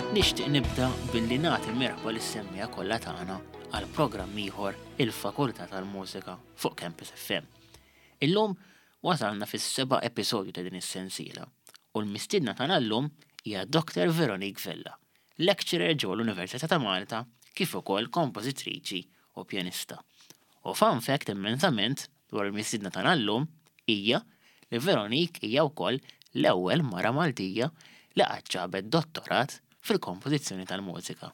Nixtieq nibda billi nagħti merħba lis-semmiegħa kollha tagħna għal programm ieħor il-Fakultà tal-Mużika fuq Campus FM. Illum wasalna fis-seba' episodju ta' din is-sensiela u l-mistiedna tagħna llum hija Dr. Veronique Vella, lecturer ġewwa l-Università ta' Malta kif ukoll kompożitriċi u pjanista. U fun fact immensament dwar il-mistiedna tagħna llum hija li Veronique hija wkoll l-ewwel mara Maltija li qatt ġabet dottorat fil-kompożizzjoni tal-mużika.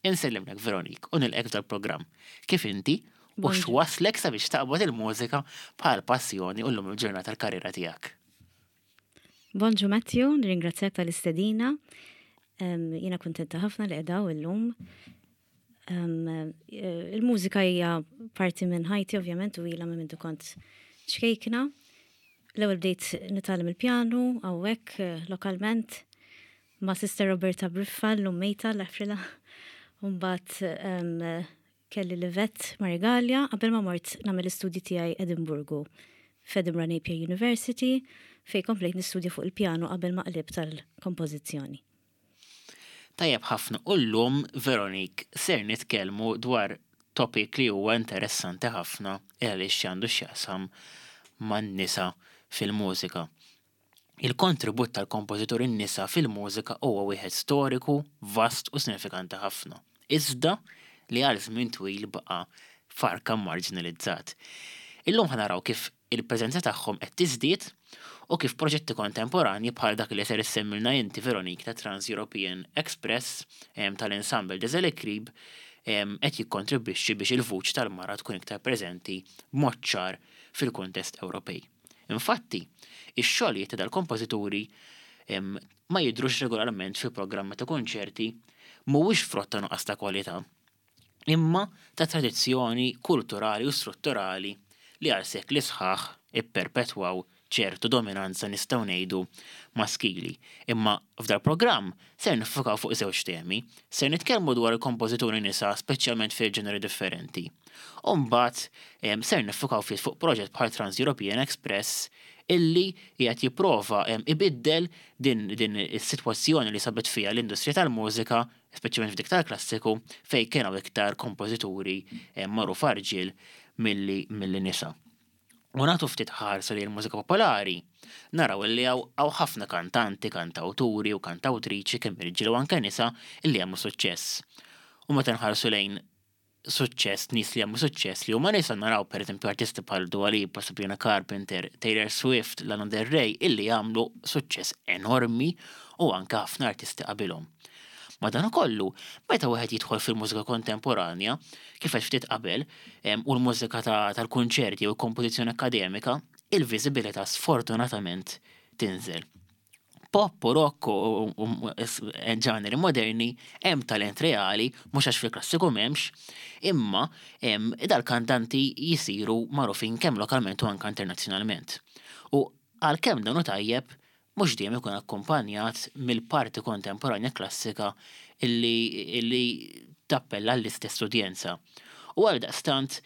Insellimlek Veronique u nilqgħek f'dal-programm. Kif inti u x'wasslek sabiex taqbad il-mużika bħala passjoni u llum il-ġurnata l-karriera tiegħek? Bonġu Matthew, nirringrazzjak tal-istedina. Jiena kuntenta ħafna li qiegħda illum. Il-mużika hija parti minn ħajti ovvjament u ilha minn mindu kont ċkejkna. L-ewwel bdejt nitgħallem il-pjanu hawnhekk eh, lokalment ma' Sister Roberta Briffa llum mejta l-Afrila. Mbagħad Kelli Livette Marigalia qabel ma mort nagħmel l-istudji tiegħi Edinburgu, f'Edinburgh Napier University, fejn komplejt nistudja fuq il-pjanu qabel ma qlibt għall-kompożizzjoni. Tajjeb ħafna u llum Veronique ser nitkellmu dwar topic li huwa interessanti ħafna il għaliex għandu x'jaqsam man-nisa fil-mużika. Il-kontribut tal-kompożituri nisa fil-mużika huwa wieħed storiku, vast u sinifikanti ħafna, iżda li għal żmien twil baqa' farka marġinalizzat. Illum ħa naraw kif il-preżenza tagħhom qed tiżdied u kif proġetti kontemporanji bħal dak li ser issemmilna inti Veronique ta' Trans-European Express tal-Ensemble des Électribes qed jikkontribwixxi biex il-vuċi tal-mara tkun iktar preżenti b'mod ċar fil-kuntest Ewropej. Infatti, ix-xogħlijiet ta' dal-kompożituri ma jidhrux regolarment fi programmi ta' kunċerti mhuwiex frott ta' nuqqas ta' kwalità, imma ta' tradizzjoni kulturali u strutturali li għal sekli sħaħ ipperpetwaw ċertu dominanza nistgħu ngħidu maskili. Imma f'dal-programm ser niffukaw fuq żewġ temi. Ser nitkellmu dwar il-kompożituri nisa speċjalment fil-ġeneri differenti. U mbagħad ser niffukaw ftit fuq proġett bħal Trans-European Express illi qiegħed jipprova ibiddel din din is-sitwazzjoni li sabet fiha l-industrija tal-mużika, speċjalment f'dik tal-klassiku, fejn kien hawn iktar kompożituri magħrufa rġiel milli milli nisa. U nagħtu ftit ħarsa lejn il-mużika popolari, naraw illi hawn ħafna kantanti, kantawturi u kantawtriċi kemm irġiel u anke nisa illi għamlu suċċess. U meta nħarsu lejn suċċess, nies li għamlu suċċess li huma nisa naraw pereżempju artisti bħal Dua Lipa, Sabrina Carpenter, Taylor Swift, Lana Del Rey illi għamlu suċċess enormi u anke ħafna artisti qabilhom. Madankollu, meta wieħed jidħol fil-mużika kontemporanja, kif għedt ftit qabel, u l-mużika tal-kunċerti u l-kompożizzjoni akkademika, il-viżibilità sfortunatament tinżel. Pop u rock u ġaneri moderni hemm talent reali, mhux għax fil-klassiku m'hemmx, imma dal-kantanti jisiru magħrufin kemm lokalment u anke internazzjonalment. U għalkemm dan hu tajjeb, mhux dejjem ikun akkumpanjat mill-parti kontemporanja klassika illi illi tappella għall-istess udjenza. U għaldaqstant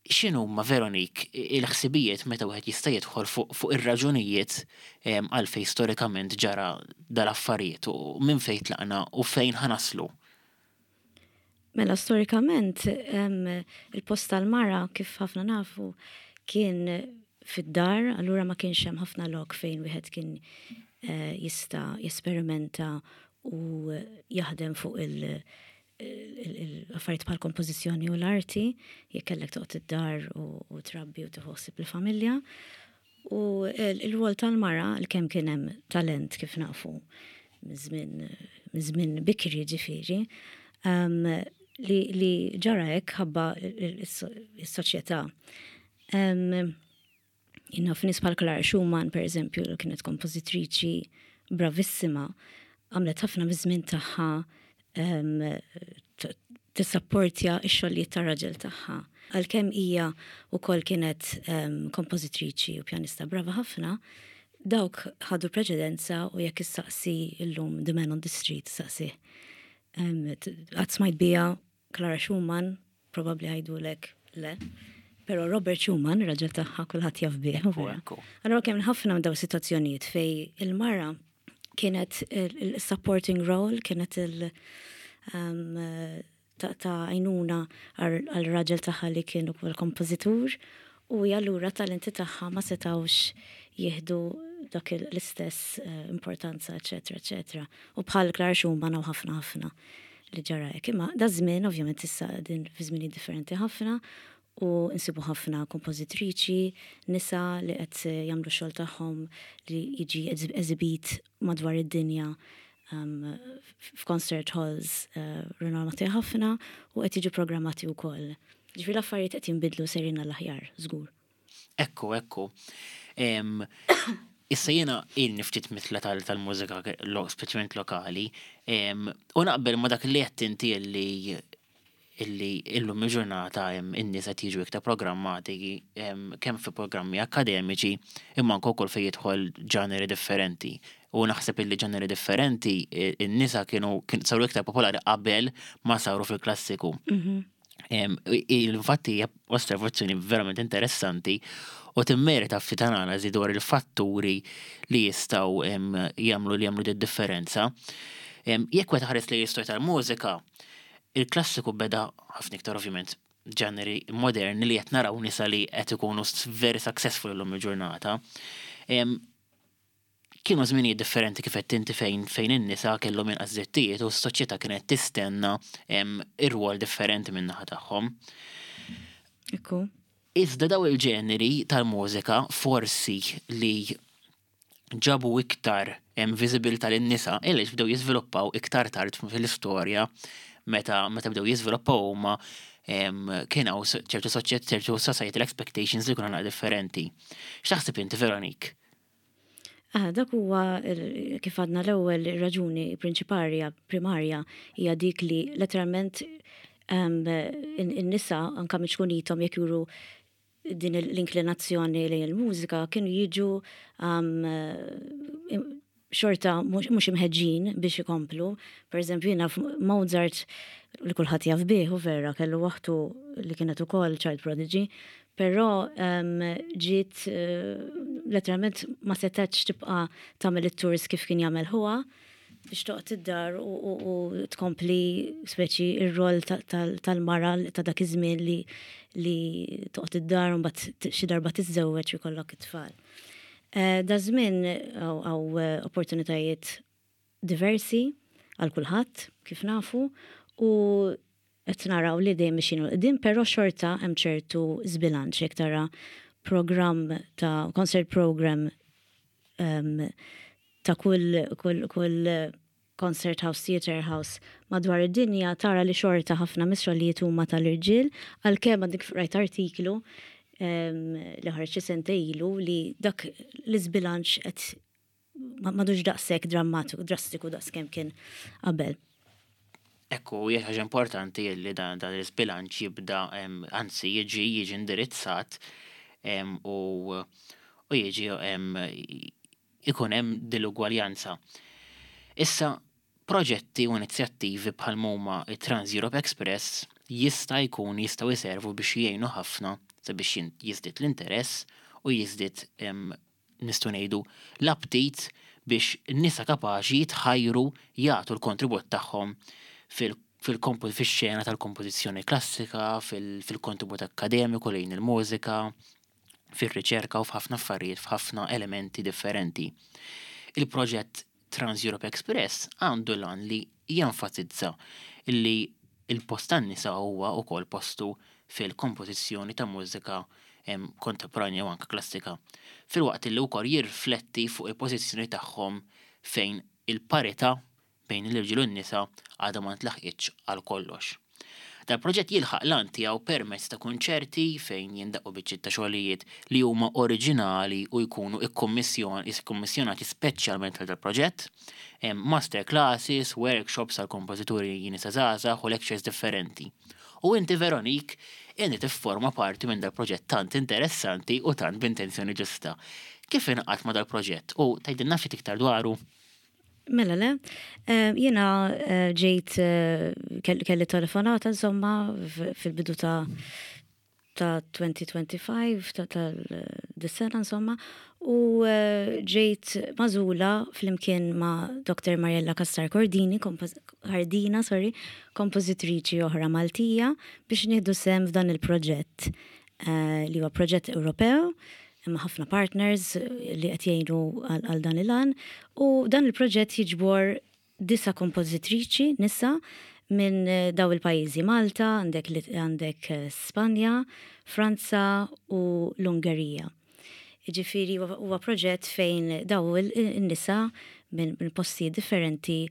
X'inhuma, Veronique, il-ħsibijiet meta wieħed jista' jidħol fuq fuq ir-raġunijiet għalfejn storikament ġara dal-affarijiet u minn fejn tlaqna u fejn ħa naslu? Mela storikament il-post tal-mara kif ħafna nafu kien fid-dar, allura ma kienx hemm ħafna lok fejn wieħed kien eh, jista' jesperimenta u jaħdem fuq il- l-affarijiet bħal kompożizzjoni u l-arti, jekk kellek toqgħod id-dar u trabbi u tieħu ħsieb il-familja. U l-rwol tal-mara, l-kemm kien hemm talent kif nafu minn żmien bikri ġifieri, li ġara hekk ħabba is-soċjetà. Jien naf nies bħal Clara Schumann, per eżempju, li kienet kompożitriċi bravissima, għamlet ħafna miż-żmien tagħha tissapportja x-xogħlijiet tar-raġel tagħha. Għalkemm hija wkoll kienet kompożitriċi u pjanista brava ħafna, dawk ħadu preċedenza u jekk issaqsi llum the man on the street, saqsih. Qatt smajt biha Clara Schumann, probabbli jgħidulek le. Pero Robert Schumann, raġel tagħha kulħadd jaf bih. Allora kemm ħafna minn daw sitwazzjonijiet fej il-mara Kienet il-supporting role, kienet il- ta' għajnuna għal raġel tagħha li kien ukoll kompożitur u allura talenti tagħha ma setawx jieħdu dak l-istess importanza, eċetera, eċetera. U bħal Clara Schumann hawn ħafna ħafna li ġara hekk. Imma da żmien ovvjament issa din fi żmini differenti ħafna u nsibu ħafna kompożitriċi nisa li qed jagħmlu xogħol tagħhom li jiġi eżibit madwar id-dinja f'concert halls rinomati ħafna u qed jiġu programmati wkoll. Ġifieri l-affarijiet qed jinbidlu sejrin għall-aħjar, żgur. Ekku, ekku. Issa jiena ilni ftit mitla tal-mużika speċjalment lokali, u naqbel ma dak li qed inti li illi illum il-ġurnata in-nies qed jiġu iktar programmati kemm fi programmi akkademiċi imma anke wkoll fejn jidħol ġaneri differenti. U naħseb illi ġaneri differenti in-nisa kienu saru iktar popolari qabel ma saru fil-klassiku. Infatti hija osservazzjoni verament interessanti u timmerita ftit analiżi dwar il-fatturi li jistgħu jagħmlu li jagħmlu differenza. Jekk wieħed ħares li l-istorja tal-mużika, il-klassiku beda ħafna iktar ovvjament ġaneri moderni li qed naraw nisa li qed ikunu very successful illum il-ġurnata. Kienu żminijiet differenti kif qed inti fejn fejn in-nisa kellhom inqas drittijiet u s-soċjetà kienet tistenna ir-rwol differenti min-naħa tagħhom. Ekku. Iżda daw il-ġeneri tal-mużika forsi li ġabu iktar viżibilità lin-nisa għaliex bdew jiżviluppaw iktar tard fil-istorja meta meta bdew jiżviluppaw huma kien hawn ċertu soċjet ċertu societal expectations li kienu naqra differenti. X'taħseb inti Veronique? Ah, dak huwa kif għadna l-ewwel raġuni prinċiparja primarja hija dik li letteralment in-nisa anka minn ċkunithom jekk juru din l-inklinazzjoni lejn il-mużika kienu jiġu xorta mhux imħeġġin biex ikomplu. Per eżempju, jiena Mozart li kulħadd jaf bih u vera kellu waħtu li kienet ukoll child prodigy, però ġiet letteralment ma setgħetx tibqa' tagħmel it-tours kif kien jagħmel ħuha biex toqgħod id-dar u tkompli speċi ir-rol tal-mara ta' dak iż-żmien li li toqgħod id-dar u mbagħad xi darba tiżżewweġ u jkollok it-tfal. Da żmien hawn opportunitajiet diversi għal kulħadd kif nafu u qed naraw li dejjem mixjin 'il quddiem, però xorta hemm ċertu żbilanċ jekk tara programm ta' concert program ta' kull kull kull concert house, theatre house madwar id-dinja tara li xorta ħafna mis-xogħlijiet huma tal-irġiel, għalkemm għadni kif qrajt artiklu li ħareġ xi sentejn ilu li dak l-iżbilanċ qed m'għadux daqshekk drammatiku, drastiku daqskemm kien qabel. Ekku, hija ħaġa importanti li dan dan l-iżbilanċ jibda, anzi jiġi jiġi indirizzat u u jiġi ikun hemm din l-ugwaljanza. Issa, proġetti u inizjattivi bħal huma it-Trans Europe Express jista' jkun jistgħu jservu biex jgħinu ħafna sabiex jiżdied l-interess u jiżdied nistgħu ngħidu l-aptit biex nisa kapaċi jitħajru jagħtu l-kontribut tagħhom fil-xena tal-kompożizzjoni klassika, fil-kontribut akkademiku lejn il-mużika, fir-riċerka u f'ħafna affarijiet, f'ħafna elementi differenti. Il-proġett Trans Europe Express għandu l-għan li jenfasizza li il-post tan-nisa huwa wkoll postu fil-kompożizzjoni ta' mużika kontemporanja u anke klassika. Filwaqt li wkoll jirrifletti fuq il-pożizzjoni tagħhom fejn il-parità bejn l-irġiel u n-nisa għadha ma ntlaħqitx għal kollox. Dal-proġett jilħaq l-għan tiegħu permezz ta' kunċerti fejn jindaqqu biċċiet ta' xogħlijiet li huma oriġinali u jkunu ikkummissjonati speċjalment għal dal-proġett, master classes, workshops għal kompożituri nisa żgħażagħ u lectures differenti. U inti Veronique, inti tifforma parti minn dal-proġett tant interessanti u tant b'intenzjoni ġusta. Kif ingħaqadt ma' dal-proġett u tgħidilna ftit iktar dwaru? Mela le, jiena ġejt kelli telefonata insomma fil-bidu ta' ta' 2025 ta' tal-dis-sena insomma u eh, ġejt magħżula flimkien ma' Dr. Mariella Cassar Cordini, Cardina, sorry, kompożitriċi oħra Maltija biex nieħdu sehem f'dan il-proġett eh, li huwa proġett Ewropew hemm ħafna partners li qed jgħinu għal dan il-għan u dan il-proġett jiġbor Disa' kompożitriċi nisa minn daw il-pajjiżi, Malta, għandek għandek Spanja, Franza u l-Ungerija. Jiġifieri huwa proġett fejn daw in-nisa minn postijiet differenti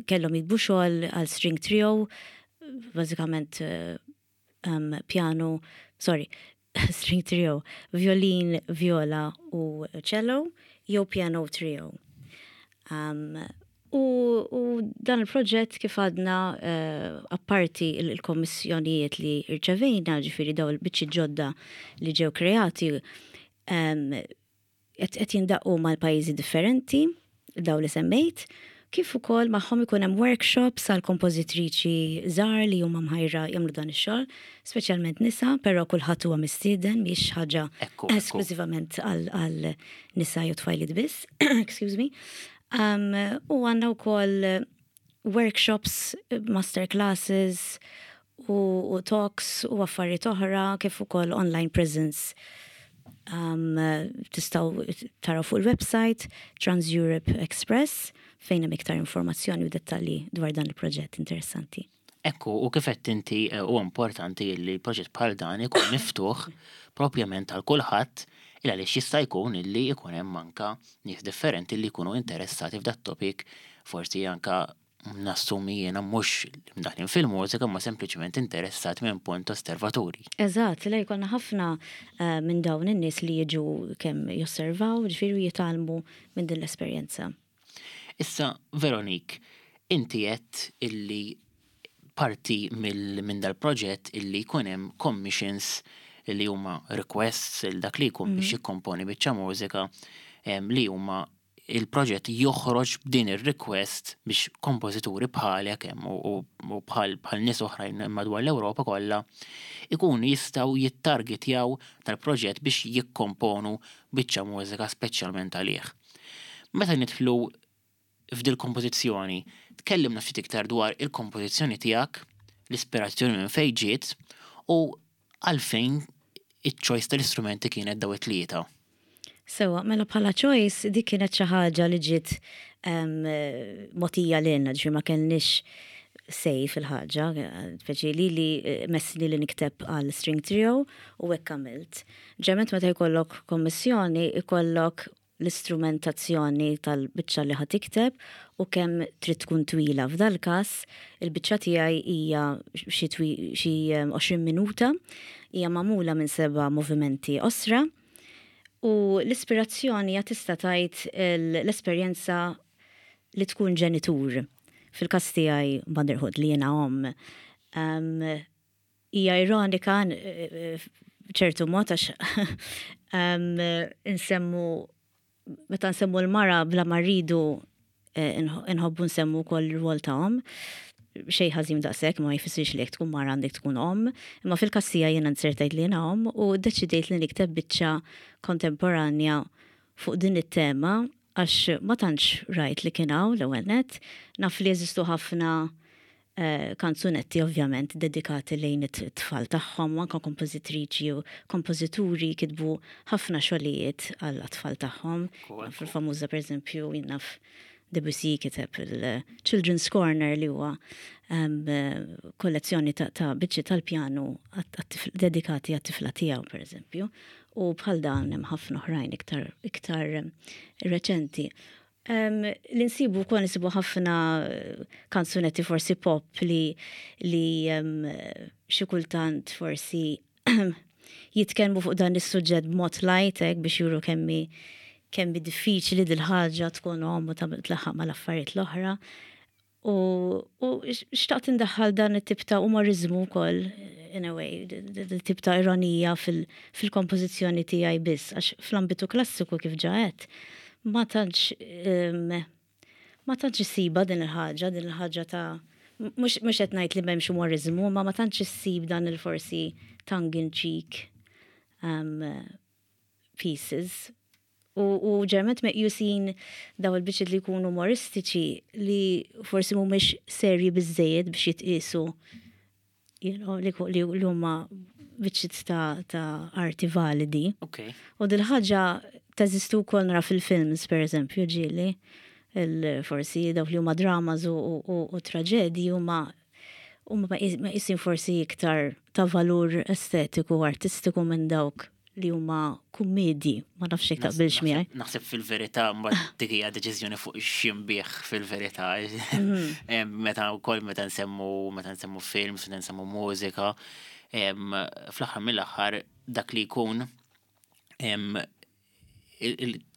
kellhom jiktbu xogħol għal string trio, bażikament piano, sorry, string trio, violin, viola u cello, jew piano trio. Um, u, u dan il-proġett kif għadna uh, apparti il-kommissjonijiet li rċevejna, ġifiri daw il-biċċi ġodda li ġew kreati, um, Qed jindaqqu mal-pajjiżi differenti, dawn li semmejt, kif ukoll magħhom ikun hemm workshops għal kompożitriċi żgħar li huma mħajra jagħmlu dan ix-xogħol, speċjalment nisa, però kulħadd huwa mistieden mhijiex ħaġa esklużivament għal nisa jew tfajliet biss. Excuse me. U għandna wkoll workshops, master classes u talks u affarijiet oħra kif ukoll online presence. Um, tistgħu taraw fuq il-website Trans Europe Express fejn hemm iktar informazzjoni u dettalji dwar dan il-proġett interessanti. Ekku, u kif qed inti eh, u importanti li proġett bħal dan ikun miftuħ propjament għal kulħadd il għaliex jista' jkun illi jkun hemm anka nies differenti li jkunu interessati f'dat topic forsi anka nassumi jiena mhux mdaħlin fil-mużika ma sempliċement interessat minn punt osservaturi. Eżatt, le jkollna ħafna eh, minn dawn in-nies li jiġu kemm josservaw, ġifieri jitgħallmu minn din l-esperjenza. Issa, Veronique, inti għedt illi parti minn dal-proġett illi jkun hemm commissions li huma requests il dak li jkun biex mhm. jikkomponi biċċa mużika li huma il-proġett joħroġ b'din ir-request biex kompożituri bħalek hemm u bħal bħal nies oħrajn madwar l-Ewropa kollha ikunu jistgħu jittargetjaw tal-proġett biex jikkomponu biċċa mużika speċjalment għalih. Meta nidħlu f'dil-kompożizzjoni, tkellimna ftit iktar dwar il-kompożizzjoni tiegħek, l-ispirazzjoni minn fejn ġiet u għalfejn iċ-choice tal-istrumenti kienet daw it-tlieta. Sewwa, mela bħala choice dik kienet xi ħaġa li ġiet mogħtija lilna, ġifieri ma kellniex say fil-ħaġa, speċi li li messni li nikteb għal string trio u hekk għamilt. Ġeneralment meta jkollok kommissjoni ikollok l-istrumentazzjoni tal-biċċa li ħa tikteb u kemm trid tkun twila. F'dal-każ, il-biċċa tiegħi hija xi xi 20 minuta, hija magħmula minn seba' movimenti qosra u l-ispirazzjoni hija tista' tgħid l-esperjenza li tkun ġenitur. Fil-każ tiegħi motherhood li jiena omm. Hija ironika b'ċertu mod għax insemmu meta nsemmu l-mara bla ma rridu eh, inħobbu nsemmu wkoll ir-rwol ta' omm. Xejn ħażin daqshekk ma jfissirx li jekk tkun mara għandek tkun omm, imma fil-każ tiegħi jiena nzertajt li jiena omm u ddeċidejt li nikteb biċċa kontemporanja fuq din it-tema għax ma tantx rajt li kien hawn l-ewwel nett, naf li jeżistu ħafna kanzunetti ovvjament dedikati lejn it-tfal tagħhom u anke kompożitriċi u kompożituri kitbu ħafna xogħlijiet għall-tfal tagħhom. Fil-famuża pereżempju jien naf Debussy kiteb il-Children's Corner li huwa kollezzjoni ta' biċċi tal-pjanu dedikati għat-tifla tiegħu pereżempju. U bħal dan hemm ħafna oħrajn iktar iktar reċenti. Li nsibu wkoll nsibu ħafna eh, kanzunetti forsi pop li li xi kultant forsi jitkellmu fuq dan is-suġġett b'mod light hekk biex juru kemmi kemmi diffiċli dil-ħaġa tkun omm u tlaħħaq mal-affarijiet l-oħra. U, u xtaqt indaħħal dan it-tip ta' umoriżmu wkoll, in a way, tip ta' ironija fil-kompożizzjoni tiegħi biss, għax fl-ambitu klassiku kif ġa għedt, ma tantx ma tantx issibha din il-ħaġa, din il-ħaġa ta' Mhux qed ngħid li m'hemmx umoriżmu, ma ma tantx issib dan il-forsi tongue in cheek pieces. U ġeneralment meqjusin daw il-biċċiet li jkunu umoristiċi li forsi mhumiex serji biżżejjed biex jitqiesu li huma biċċiet ta' arti validi. U dil-ħaġa teżistu wkoll nara fil-films, per eżempju, ġieli, forsi dawk li huma dramas u traġedji huma huma meqjusin forsi iktar ta' valur estetiku u artistiku minn dawk li huma kummedji, ma nafx jekk taqbilx miegħi. Naħseb fil-verità mbagħad dik hija deċiżjoni fuq x'inbigħ fil-verità. Meta wkoll meta nsemmu films, meta nsemmu mużika, fl-aħħar mill-aħħar dak li jkun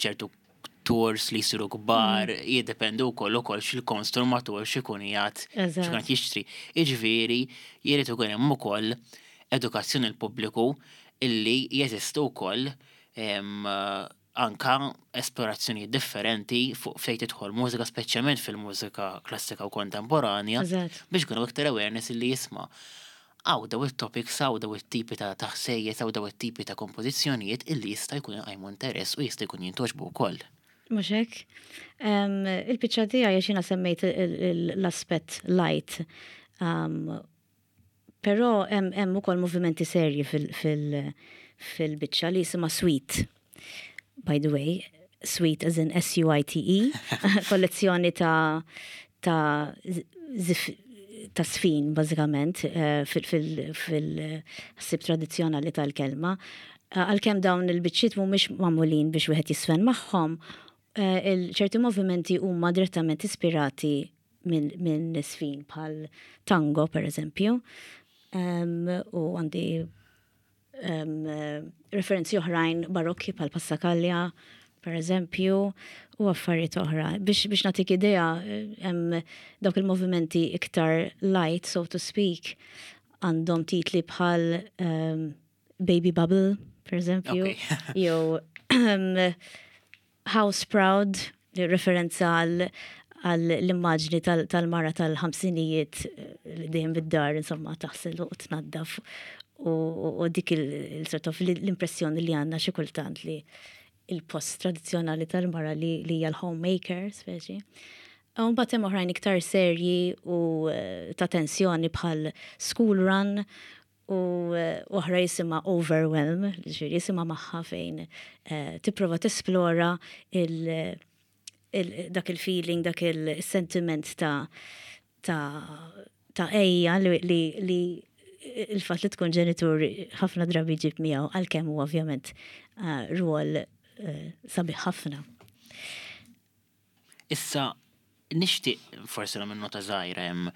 ċertu tours li jsiru kbar, jiddependu wkoll ukoll xil-konsumatur x'ikun qiegħed x'ikun qed jixtri. Jiġifieri jrid ikun hemm ukoll edukazzjoni l-pubbliku illi jeżistu wkoll anka esplorazzjoni differenti fuq fejn tidħol mużika, speċjalment fil-mużika klassika u kontemporanja, biex ikunu iktar awareness illi jisma'. Hawn daw it-topics, hawn daw it-tipi ta' ħsejjes, hawn daw it-tipi ta' kompożizzjonijiet illi jista' jkun iqajmu interess u jista' jkun jintgħoġbu wkoll. Mhux hekk? Il-biċċa tiegħi għax jiena semmejt l-aspett light. Però hemm ukoll movimenti serji fil-biċċa li jisimha Suite. By the way, Suite as in S-U-I-T-E, kollezzjoni ta' żfin, bażikament, fil-ħsib tradizzjonali tal-kelma. Għalkemm dawn il-biċċiet mhumiex magħmulin biex wieħed jiżfen magħhom, ċerti movimenti huma direttament ispirati minn żfin bħal tango, per eżempju. U għandi referenzi oħrajn barokki bħal Passacaglia, per eżempju, u affarijiet oħra. Biex nagħtik idea, hemm dawk il-movimenti iktar light, so to speak, għandhom titli bħal Baby Bubble, per eżempju, jew House Proud, referenza għal l-immaġni tal-mara tal-50ijiet li dejjem bid-dar, insomma, taħsel u tnaddaf u dik il-sort of l-impressjoni li għandna xi kultant li il-post tradizzjonali tal-mara li hija l-homemaker, speċi. U mbagħad hemm oħrajn iktar serji u ta' tensjoni bħal School Run u oħra jisimha Overwhelm, ġifieri jisimha magħha fejn tipprova tesplora dak il-feeling, dak il-sentiment ta' għeja li il-fatt li tkun ġenitur ħafna drabi ġib miegħu, għalkemm hu ovvjament rwol sabiħ ħafna. Issa nixtieq forsi nagħmel nota żgħira hemm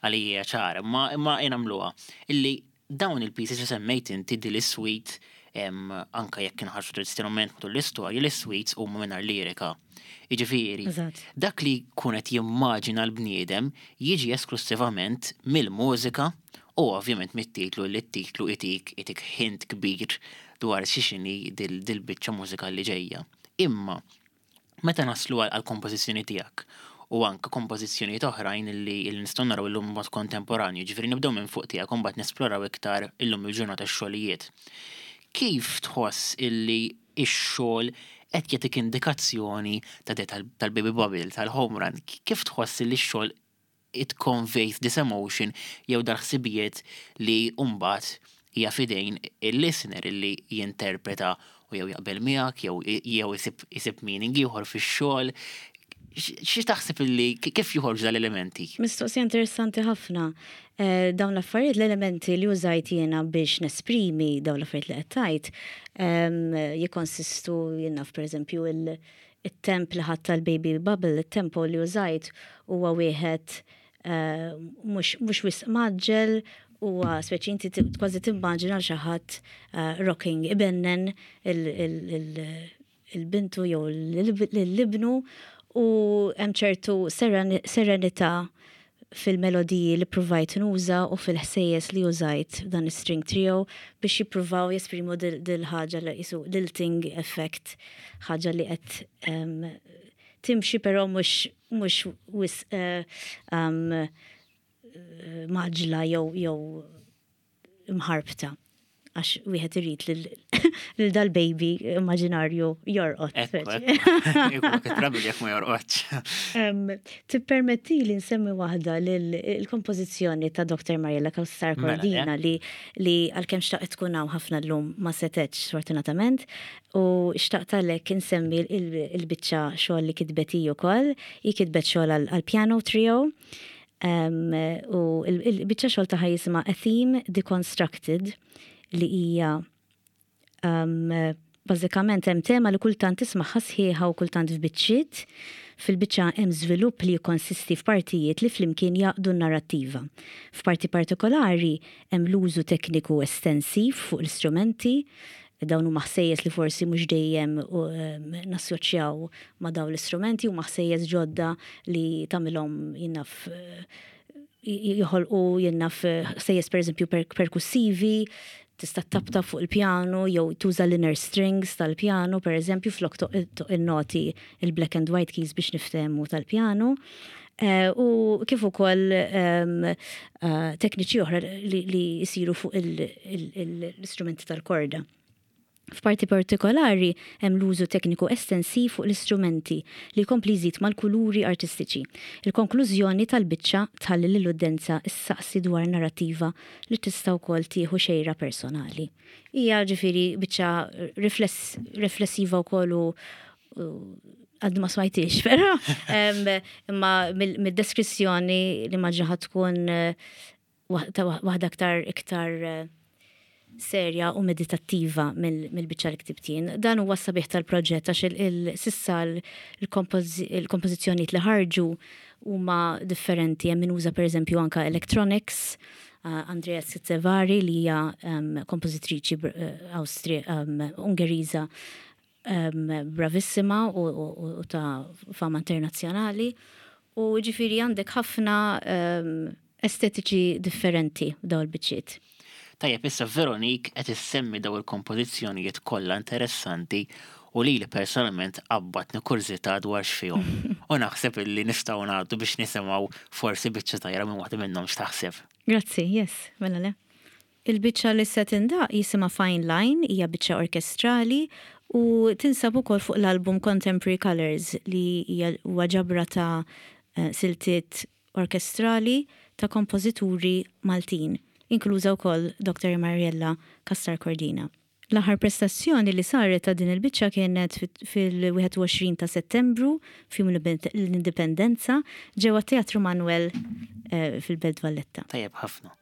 għalija ċara, ma nagħmluha illi dawn il-pieces li semmejt inti din is-suite, anka jekk inħarsu tradizzjonalment matul l-istorja, l-suites huma mingħajr lirika. Jiġifieri, dak li jkun qed jimmaġina l-bniedem jiġi esklusivament mill-mużika u ovvjament mit-titlu, li t-titlu itik hint kbir dwar x'inhi dil-biċċa mużika li ġejja. Imma meta naslu għal kompożizzjoni tiegħek u anka kompożizzjonijiet oħrajn li nistgħu naraw illum mod kontemporanju, ġifieri nibdew minn fuq tiegħek u mbagħad nesploraw iktar illum il-ġurnata x-xogħlijiet. Kif tħoss illi x-xogħol qed jagħtik indikazzjoni ta' tal-Baby Bubble, tal-Home Run? Kif tħoss illi x-xogħol it conveys this emotion jew dal-ħsibijiet li mbagħad hija fidejn il-listener illi jinterpreta u jew jaqbel miegħek jew isib meaning ieħor fix-xogħol? Xi taħseb illi kif joħorġu dal-elementi? Mistoqsija interessanti ħafna. Dawn l-affarijiet, l-elementi li użajt jiena biex nesprimi dawn l-affarijiet li qed tgħid, jikkonsistu jiena pereżempju il-temp li ħadd tal-Baby Bubble, il-tempo li użajt huwa wieħed mhux wisq mgħaġġel, huwa speċi inti kważi timmaġina xi ħadd rocking, ibennen il-bintu jew l-ibnu, u hemm ċertu serenità fil-melodiji li provajt nuża u fil-ħsejjes li użajt dan is-string trio biex jippruvaw jesprimu dil-ħaġa li jisu lilting effect, ħaġa li qed timxi però mhux wisq. mgħaġġla jew jew mħarbta għax wieħed irid lil dal-baby immaġinarju jorqod. Ekku, trabi jekk ma jorqodx. Tippermetti li nsemmi waħda l-kompożizzjoni ta' Dr. Mariella Cassar mela, Cordina eh? li li għalkemm xtaqt tkun hawn ħafna llum ma setgħetx sfortunatament u xtaqt għalhekk insemmi il-biċċa xogħol li kitbet hi wkoll. Hi kitbet xogħol għall-piano trio U l-biċċa xogħol tagħha jisimha A Theme Deconstructed li hija bażikament hemm tema li kultant tismagħha sħiħa u kultant f'biċċiet. Fil-biċċa hemm żvilupp li jikkonsisti f'partijiet li flimkien jgħaqqdu n-narrattiva. F'parti partikolari hemm l-użu tekniku estensiv fuq l-istrumenti, Dawn huma ħsejjes li forsi mhux dejjem nassoċjaw ma' dawn l-istrumenti, huma ħsejjes ġodda li tagħmilhom jien naf joħolqu jien naf ħsejjes pereżempju perkussivi, tista' ttaptap fuq il-pjanu jew tuża l-inner strings tal-pjanu pereżempju flok toqq in-noti il-black and white keys biex niftehmu tal-pjanu. U kif ukoll tekniċi oħra li jsiru fuq l-istrumenti tal-korda. F'parti partikolari hemm l-użu tekniku estensiv fuq l-istrumenti li jkompli jżid mal-kuluri artistiċi. Il-konklużjoni tal-biċċa tħalli lill-uddenza ssaqsi dwar narrattiva li tista' wkoll tieħu xejra personali. Hija ġifieri biċċa riflessiva wkoll u għadni ma smajtix, però imma mid-deskrizzjoni li maġġa tkun eh, waħda aktar iktar eh, serja u meditattiva mill-biċċa li ktibt jien. Dan huwa sabiħ tal-proġett għax sissa l-kompożizzjonijiet li ħarġu huma differenti hemm min uża pereżempju anka electronics, eh, Andrea Sizzevari li hija kompożitriċi Austri Ungeriża bravissima u ta' fama internazzjonali. U ġifiri għandek ħafna estetiċi differenti daw il-biċċiet. Tajjeb, issa Veronique qed issemmi daw il-kompożizzjonijiet kollha interessanti u lili personalment qabbatni kurżità dwar x'fihom. U naħseb illi nistgħu ngħaddu biex nisimgħu forsi biċċa tajra minn waħda minnhom x'taħseb. Grazzi, yes, mela le. Il-biċċa li se tindaqq jisimha Fine Line, hija biċċa orkestrali u tinsab ukoll fuq l-album Contemporary Colours li hija huwa ġabra ta' siltiet orkestrali ta' kompożituri Maltin, inkluża wkoll Dr. Mariella Castar Cordina. L-aħħar prestazzjoni li saret ta' din il-biċċa kienet fil-21 ta' Settembru, f'Jum l-Indipendenza, ġewwa t-Teatru Manoel fil-Belt Valletta. Tajjeb ħafna.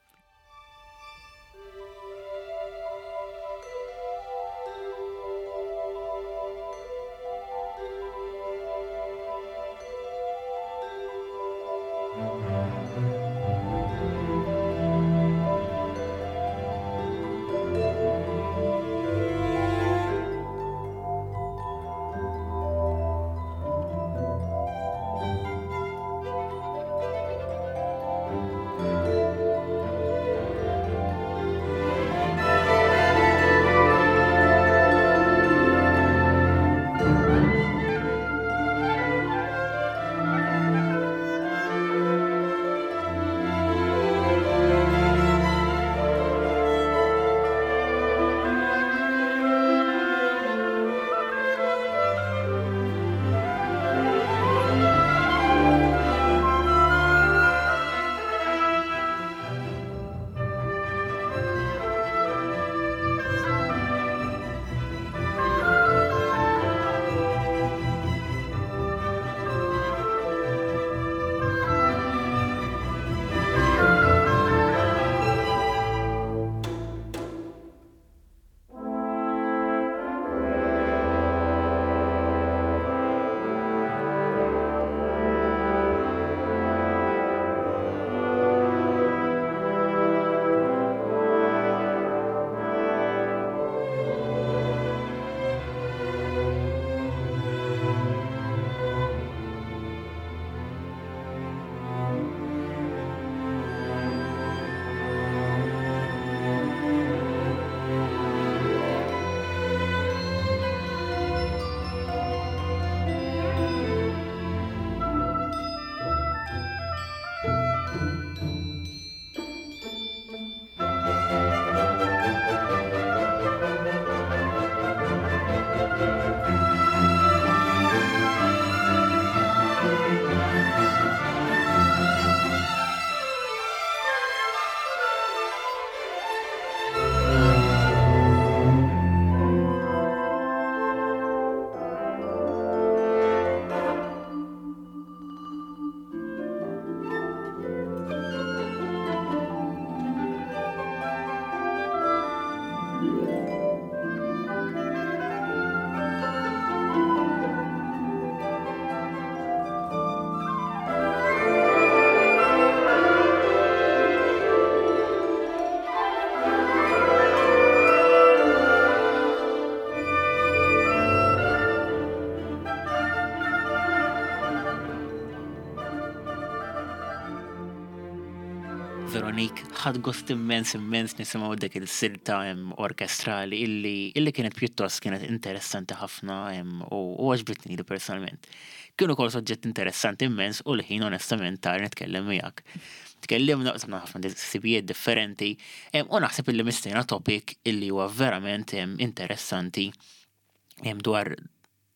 Veronique, ħadt gost immens immens nisimgħu dik il-silta orkestrali illi illi kienet pjuttost kienet interessanti ħafna u għoġbitni li personalment. Kienu kol soġġett interessanti immens u l-ħin onestament tar nitkellem miegħek. Tkellimna qsamna ħafna ħsibijiet differenti u naħseb illi missejna topic illi huwa verament interessanti dwar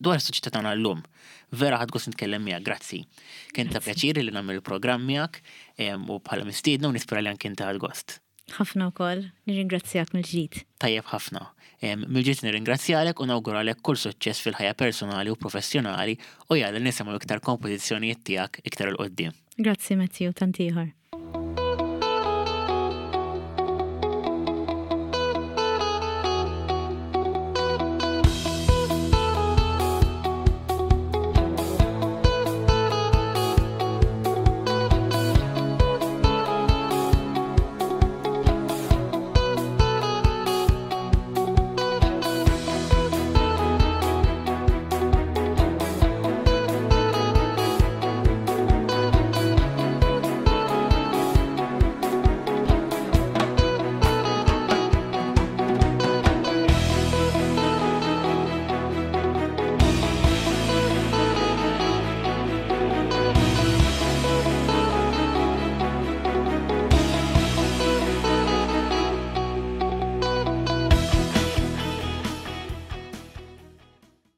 dwar is-soċjetà tagħna llum. Vera ħadt gost nitkellem miegħek, grazzi. Kien ta' pjaċir li nagħmel il-programm miegħek u bħala mistiedna u nispera li anke inti ħadt gost. Ħafna wkoll, nirringrazzjak mill-ġdid. Tajjeb ħafna. Mill-ġdid nirringrazzjalek u nawguralek kull suċċess fil-ħajja personali u professjonali u jalla nisimgħu iktar kompożizzjonijiet tiegħek iktar 'il quddiem. Grazzi Matthew, tant ieħor.